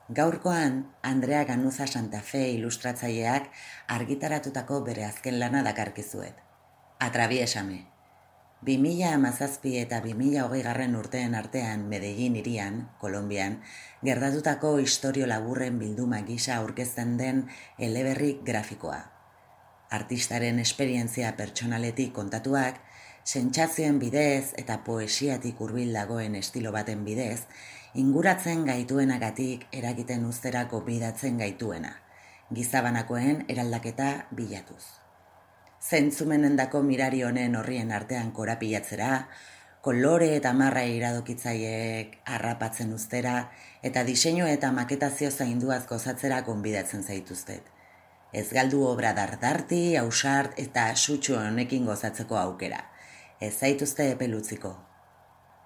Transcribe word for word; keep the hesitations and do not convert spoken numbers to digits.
Gaurkoan, Andrea Ganuza Santa Fe ilustratzaileak argitaratutako bere azken lana dakarkizuet. Atraviesame. bi mila hamazazpi eta bi mila hogeigarren urteen artean Medellin hirian, Kolonbian, gertatutako istorio laburren bilduma gisa aurkezten den eleberri grafikoa. Artistaren esperientzia pertsonaletik kontatuak, sentsazioen bidez eta poesiatik hurbil dagoen estilo baten bidez, inguratzen gaituenagatik eragiten uzterako bidatzen gaituena, gizabanakoen eraldaketa bilatuz. Zentzumenendako mirari honen horrien artean korapilatzera, kolore eta marra iradokitzaileek harrapatzen uztera eta diseinu eta maketazio zainduaz gozatzera gonbidatzen zaituztet. Ez galdu obra dardarti, ausart eta sutsu honekin gozatzeko aukera. Ez zaituzte epelutziko.